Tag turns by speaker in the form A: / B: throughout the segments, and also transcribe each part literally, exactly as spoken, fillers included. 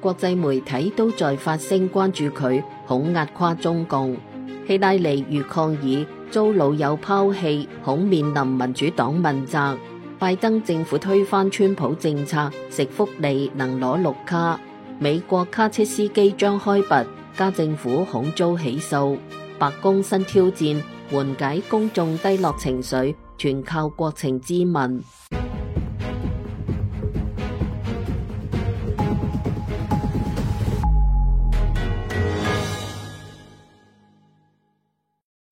A: 國際媒體都在發聲關注佢，恐壓垮中共。希拉里遇抗議遭老友拋棄，恐面臨民主黨問責。拜登政府推翻川普政策，食福利能攞綠卡。美國卡車司機將開拔，加政府恐遭起訴。白宮新挑戰，緩解公眾低落情緒，全靠國情咨文。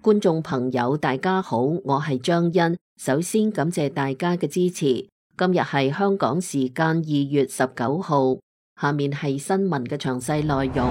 A: 觀眾朋友大家好，我係張欣，首先感謝大家嘅支持。今日係香港時間二月十九號，下面係新聞嘅詳細內容。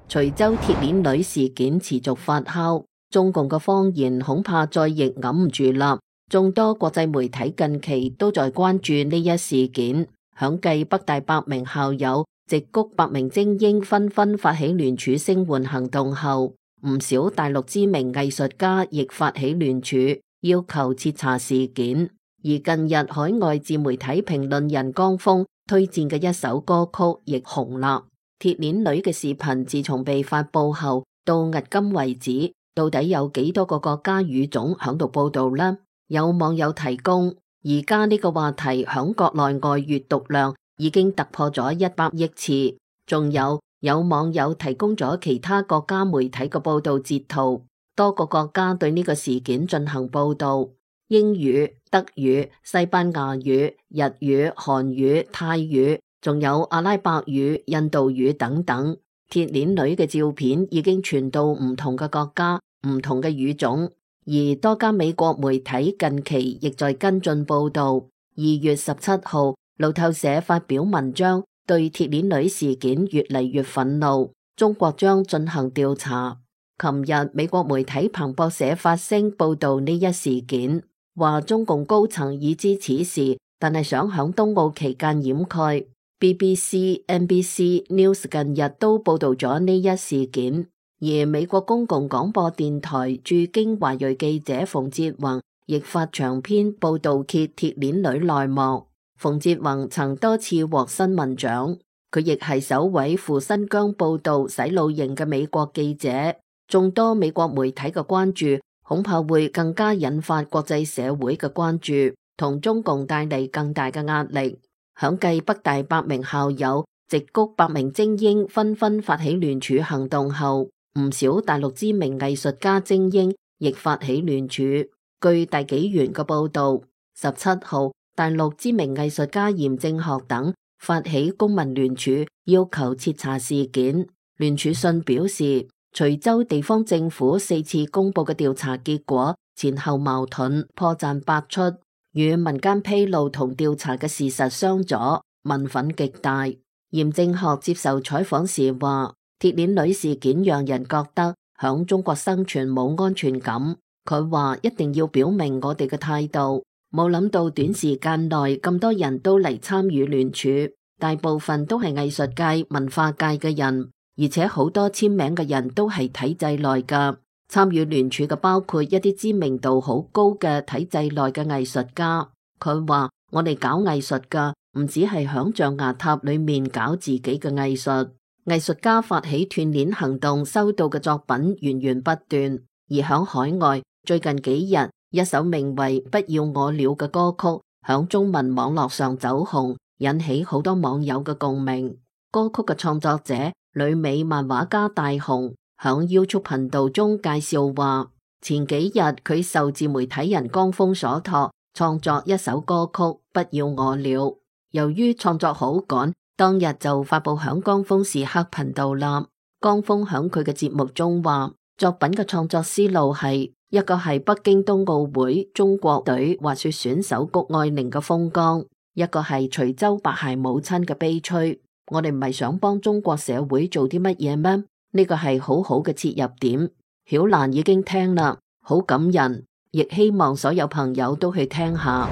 A: 徐州鐵鏈女事件持續發酵，中共嘅謊言恐怕再亦揞唔住啦。眾多國際媒體近期都在關注呢一事件，響繼北大百名校友、矽谷百名精英紛紛發起聯署聲援行動後，唔少大陸知名藝術家亦發起聯署，要求徹查事件。而近日海外自媒體評論人江峰推薦嘅一首歌曲亦紅啦。鐵鏈女嘅視頻自從被發佈後到迄今為止，到底有幾多個國家語種響度報道呢？有網友提供，而家呢個話題響國內外閱讀量已經突破咗一百億次。仲有有網友提供咗其他國家媒體嘅報道截圖，多個國家對呢個事件進行報道，英語、德語、西班牙語、日語、韓語、泰語，仲有阿拉伯語、印度語等等。鐵鏈女嘅照片已經傳到唔同嘅國家、唔同嘅語種，而多家美國媒體近期亦在跟進報道。二月十七號，路透社發表文章，對鐵鏈女事件越嚟越憤怒，中國將進行調查。琴日美國媒體彭博社發聲報道呢一事件，話中共高層已知此事，但係想響冬奧期間掩蓋。B B C、N B C News 近日都報道咗呢一事件，而美國公共廣播電台駐京華裔記者馮哲宏亦發長篇報道揭鐵鏈女內幕。馮哲宏曾多次獲新聞獎，佢亦係首位赴新疆報道洗腦營嘅美國記者。眾多美國媒體嘅關注，恐怕會更加引發國際社會嘅關注，同中共帶嚟更大嘅壓力。響繼北大百名校友、矽谷百名精英紛紛發起聯署行動後，唔少大陸知名藝術家精英亦發起聯署。據大紀元嘅報道，十七號大陸知名藝術家嚴正學等發起公民聯署，要求徹查事件。聯署信表示，徐州地方政府四次公布嘅調查結果前後矛盾，破綻百出，與民間披露同調查嘅事實相左，民憤極大。嚴正學接受採訪時話，鐵鏈女事件讓人覺得響中國生存冇安全感。佢話一定要表明我哋嘅態度，冇諗到短時間內咁多人都嚟參與聯署，大部分都係藝術界、文化界嘅人，而且好多簽名嘅人都係體制內噶。參與聯署嘅包括一啲知名度好高嘅體制內嘅藝術家。佢話我哋搞藝術噶，唔只係響象牙塔裏面搞自己嘅藝術。藝術家發起斷鏈行動，收到嘅作品源源不斷。而響海外，最近幾日，一首名為《不要我了》嘅歌曲響中文網絡上走紅，引起好多網友嘅共鳴。歌曲嘅創作者旅美漫畫家大雄響 YouTube 頻道中介紹話，前幾日佢受自媒體人江峰所託，創作一首歌曲《不要我了》。由於創作好趕，當日就發佈響江峰時刻頻道啦。江峰響佢嘅節目中話，作品嘅創作思路係一個係北京冬奧會中國隊滑雪選手谷愛凌嘅風光，一個係徐州白鞋母親嘅悲催。我哋唔係想幫中國社會做啲乜嘢咩？呢個係好好嘅切入點。曉蘭已經聽啦，好感人，亦希望所有朋友都去聽下。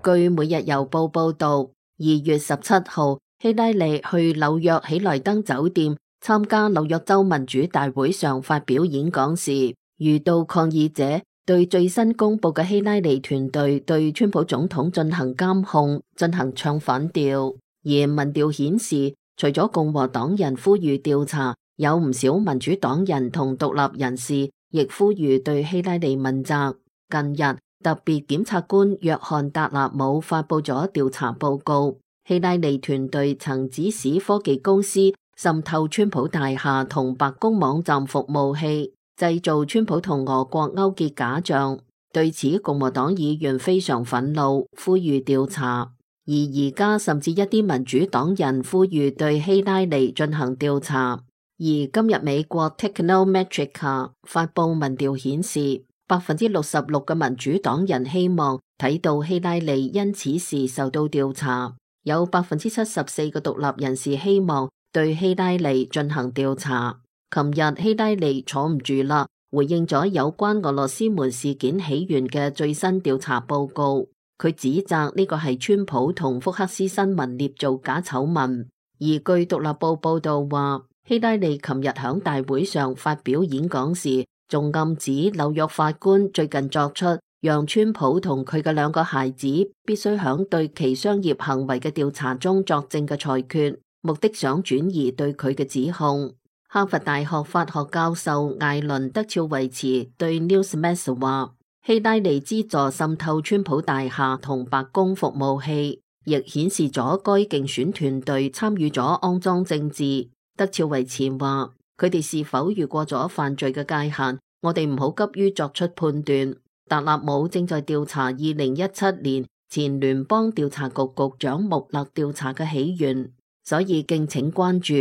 A: 據每日郵報報道，二月十七號，希拉里去紐約喜來登酒店參加紐約州民主大會上發表演講時，遇到抗議者對最新公布嘅希拉里團隊對川普總統進行監控進行唱反調。而民調顯示，除咗共和黨人呼籲調查，有唔少民主黨人同獨立人士亦呼籲對希拉里問責。近日，特別檢察官約翰達納姆發佈咗調查報告，希拉里團隊曾指使科技公司滲透川普大廈同白宮網站服務器，製造川普同俄國勾結假象。對此，共和黨議員非常憤怒，呼籲調查。而而家甚至一啲民主黨人呼籲對希拉里進行調查。而今日美國 Technometrica 發佈民調顯示，百分之六十六嘅民主黨人希望睇到希拉里因此事受到調查，有百分之七十四嘅獨立人士希望對希拉里進行調查。琴日希拉里坐唔住啦，回應咗有關俄羅斯門事件起源嘅最新調查報告。佢指責呢個係川普同福克斯新聞捏造假醜聞。而據獨立報報道話，希拉里琴日響大會上發表演講時，仲暗指紐約法官最近作出讓川普同佢嘅兩個孩子必須響對其商業行為嘅調查中作證嘅裁決，目的想轉移對佢嘅指控。哈佛大學法學教授艾倫德肖維茨對 Newsmax 話，希拉里資助滲透川普大廈同白宮服務器，亦顯示咗該競選團隊參與咗骯髒政治。德肖維茨話，佢哋是否越過咗犯罪嘅界限，我哋唔好急於作出判斷。達納姆正在調查二零一七年前聯邦調查局局長穆勒調查嘅起源，所以敬請關注。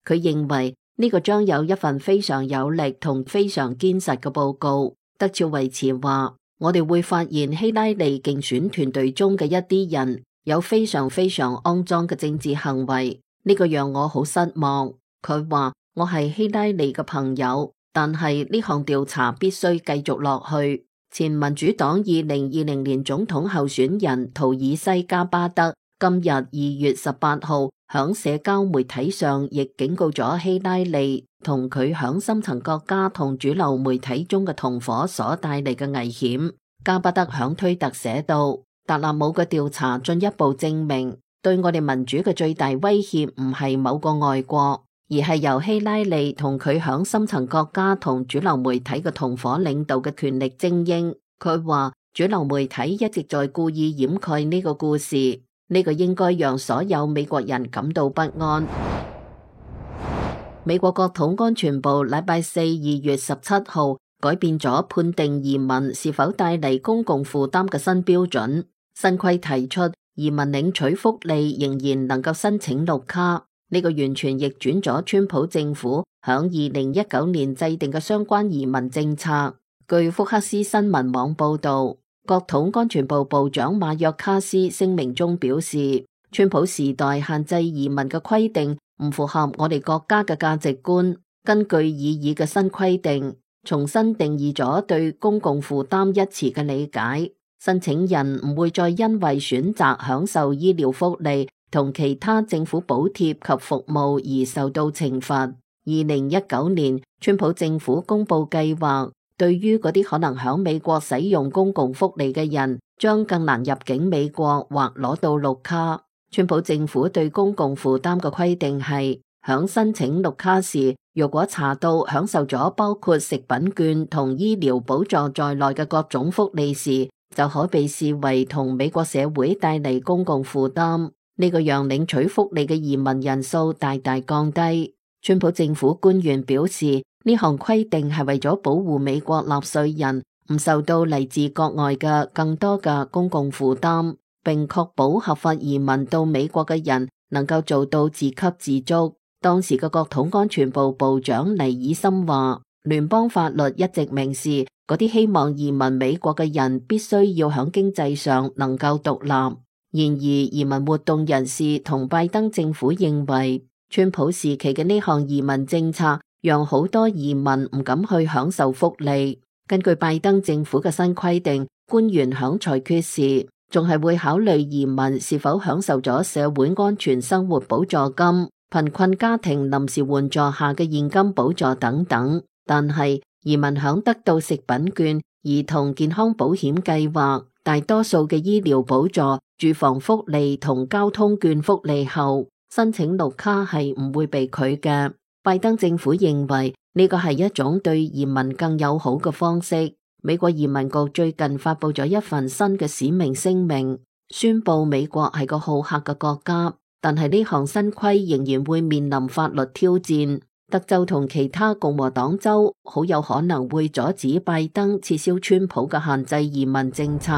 A: 佢認為呢個將有一份非常有力同非常堅實嘅報告。德肖維茨話，我哋會發現希拉里競選團隊中嘅一啲人有非常非常骯髒嘅政治行為，呢個讓我好失望。佢話，我係希拉里嘅朋友，但係呢項調查必須繼續落去。前民主黨二零二零年總統候選人圖爾西加巴德今日二月十八號響社交媒體上亦警告咗希拉里同佢響深層國家同主流媒體中嘅同夥所帶嚟嘅危險。加巴德響推特寫道，達納姆嘅調查進一步證明，對我哋民主嘅最大威脅唔係某個外國，而係由希拉里同佢響深層國家同主流媒體嘅同夥領導嘅權力精英。佢話主流媒體一直在故意掩蓋呢個故事，呢個應該讓所有美國人感到不安。美國國土安全部禮拜四二月十七號改變咗判定移民是否帶嚟公共負擔嘅新標準。新規提出移民領取福利仍然能夠申請綠卡，呢個完全逆轉咗川普政府響二零一九年制定嘅相關移民政策。據福克斯新聞網報道，國土安全部部長馬約卡斯聲明中表示，川普時代限制移民嘅規定唔符合我哋國家嘅價值觀。根據擬議嘅新規定，重新定義咗對公共負擔一詞嘅理解，申請人唔會再因為選擇享受醫療福利同其他政府補貼及服務而受到懲罰。二零一九年，川普政府公布計劃，對於嗰啲可能響美國使用公共福利嘅人，將更難入境美國或攞到綠卡。川普政府對公共負擔嘅規定係，響申請綠卡時，如果查到享受咗包括食品券同醫療補助在內嘅各種福利時，就可被視為同美國社會帶嚟公共負擔。呢個讓領取福利嘅移民人數大大降低。川普政府官員表示，呢項規定係為咗保護美國納稅人唔受到嚟自國外嘅更多嘅公共負擔，並確保合法移民到美國嘅人能夠做到自給自足。當時嘅國土安全部部長尼爾森話，聯邦法律一直明示，嗰啲希望移民美國嘅人必須要喺經濟上能夠獨立。然而，移民活動人士同拜登政府認為，川普時期嘅呢項移民政策讓好多移民唔敢去享受福利。根據拜登政府嘅新規定，官員響裁決時仲係會考慮移民是否享受咗社會安全生活補助金、貧困家庭臨時援助下嘅現金補助等等。但係移民響得到食品券、兒童健康保險計劃、大多數嘅醫療補助、住房福利同交通券福利後，申請綠卡係唔會被拒嘅。拜登政府認為呢個係一種對移民更友好嘅方式。美國移民局最近發佈咗一份新嘅使命聲明，宣布美國係個好客嘅國家，但係呢項新規仍然會面臨法律挑戰。德州同其他共和黨州好有可能會阻止拜登撤銷川普嘅限制移民政策。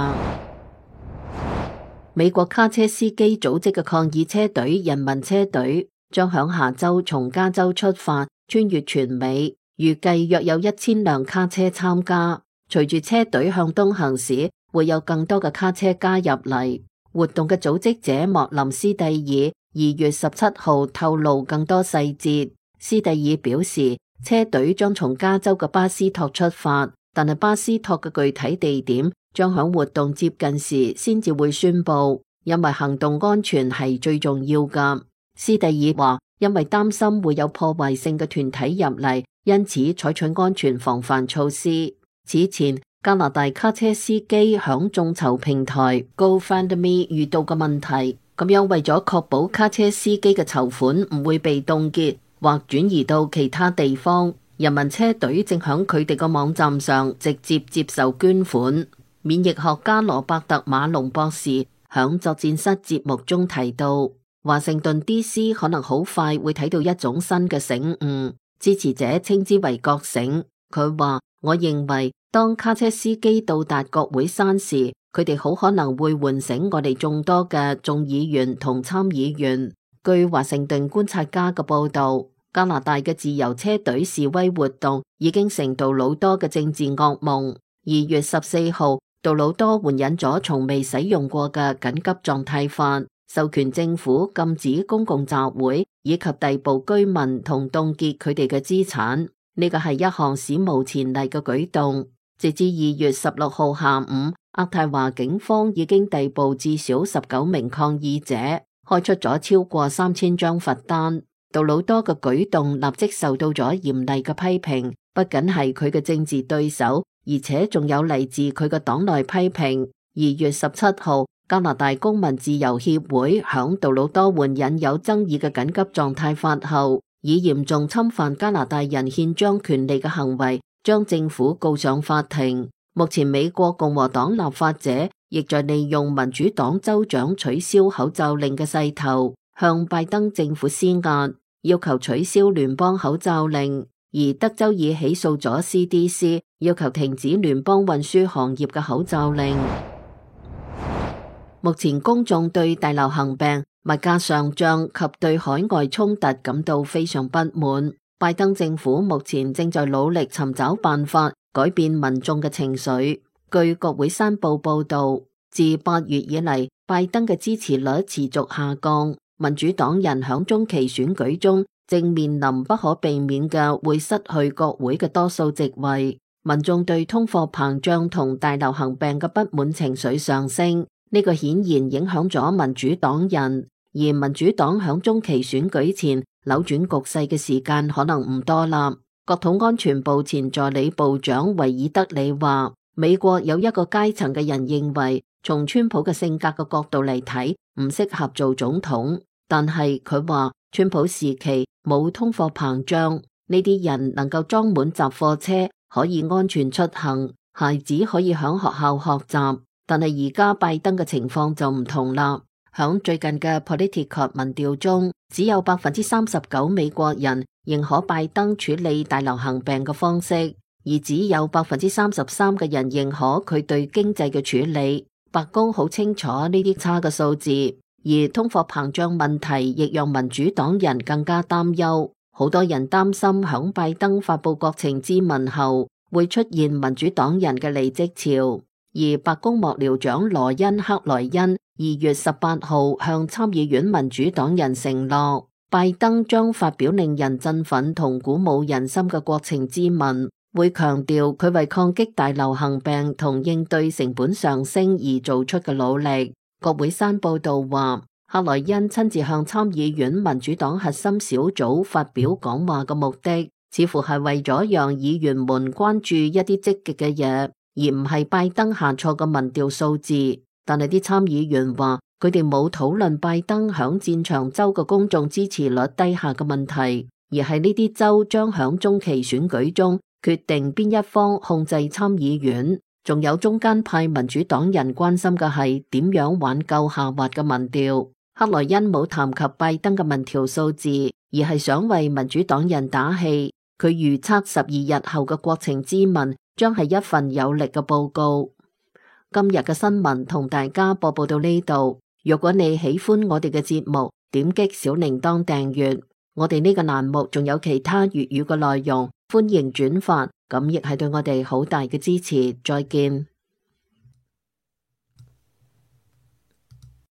A: 美國卡車司機組織嘅抗議車隊人民車隊將響下周從加州出發，穿越全美，預計約有一千輛卡車參加。隨住車隊向東行駛，會有更多嘅卡車加入嚟。活動嘅組織者莫林斯蒂爾二月十七號透露更多細節。斯蒂爾表示，車隊將從加州嘅巴斯托出發，但係巴斯托嘅具體地點將響活動接近時先至會宣布，因為行動安全係最重要㗎。斯蒂爾話，因為擔心會有破壞性嘅團體入嚟，因此採取安全防範措施。此前，加拿大卡車司機響眾籌平台 GoFundMe 遇到嘅問題，咁樣為咗確保卡車司機嘅籌款唔會被凍結或轉移到其他地方，人民車隊正響佢哋個網站上直接接受捐款。免疫學家羅伯特馬龍博士響作戰室節目中提到，華盛頓 D C 可能好快會睇到一種新嘅醒悟，支持者稱之為覺醒。佢話，我認為當卡車司機到達國會山時，佢哋好可能會喚醒我哋眾多嘅眾議員同參議員。據華盛頓觀察家嘅報道，加拿大嘅自由車隊示威活動已經成杜魯多嘅政治噩夢。二月十四號，杜魯多援引咗從未使用過嘅緊急狀態法，授權政府禁止公共集會以及逮捕居民同凍結佢哋嘅資產。呢個係一項史無前例嘅舉動。直至二月十六號下午，渥太華警方已經逮捕至少十九名抗議者，開出咗超過三千張罰單。杜魯多嘅舉動立即受到咗嚴厲嘅批評，不僅係佢嘅政治對手，而且仲有嚟自佢嘅黨內批評。二月十七號，加拿大公民自由協會響杜魯多援引有爭議嘅緊急狀態法後，以嚴重侵犯加拿大人憲章權利嘅行為，將政府告上法庭。目前美國共和黨立法者亦在利用民主黨州長取消口罩令嘅勢頭，向拜登政府施壓，要求取消聯邦口罩令。而德州已起訴咗 C D C， 要求停止聯邦運輸行業嘅口罩令。目前公眾對大流行病、物價上漲及對海外衝突感到非常不滿。拜登政府目前正在努力尋找辦法改變民眾嘅情緒。據國會山報報道，自八月以嚟，拜登嘅支持率持續下降，民主黨人響中期選舉中正面臨不可避免嘅會失去國會嘅多數席位。民眾對通貨膨脹同大流行病嘅不滿情緒上升，呢個顯然影響咗民主黨人。而民主黨響中期選舉前扭轉局勢嘅時間可能唔多啦。國土安全部前助理部長維爾德里話，美國有一個階層嘅人認為，從川普嘅性格嘅角度嚟睇，唔適合做總統。但係佢話，川普時期冇通貨膨脹，呢啲人能夠裝滿雜貨車，可以安全出行，孩子可以響學校學習。但係而家拜登嘅情況就唔同啦。響最近嘅 Politico 民調中，只有百分之三十九美國人認可拜登處理大流行病嘅方式，而只有百分之三十三嘅人認可佢對經濟嘅處理。白宮好清楚呢啲差嘅數字，而通貨膨脹問題亦讓民主黨人更加擔憂。好多人擔心響拜登發佈國情咨文後，會出現民主黨人嘅離職潮。而白宮幕僚長羅恩克萊恩二月十八號向參議院民主黨人承諾，拜登將發表令人振奮同鼓舞人心嘅國情咨文，會強調佢為抗擊大流行病同應對成本上升而做出嘅努力。國會山報道話，克萊恩親自向參議院民主黨核心小組發表講話嘅目的，似乎係為咗讓議員們關注一啲積極嘅嘢。而唔係拜登下錯嘅民調數字。但係啲參議員話，佢哋冇討論拜登響戰場州嘅公眾支持率低下嘅問題，而係呢啲州將響中期選舉中決定邊一方控制參議院。仲有中間派民主黨人關心嘅係點樣挽救下滑嘅民調。克萊恩冇談及拜登嘅民調數字，而係想為民主黨人打氣。佢預測十二日後嘅國情咨文將係一份有力嘅報告。今日嘅新聞同大家播報到呢度。如果你喜歡我哋嘅節目，點擊小鈴鐺訂閱。我哋呢個欄目仲有其他粵語嘅內容，歡迎轉發，咁亦係對我哋好大嘅支持。再見。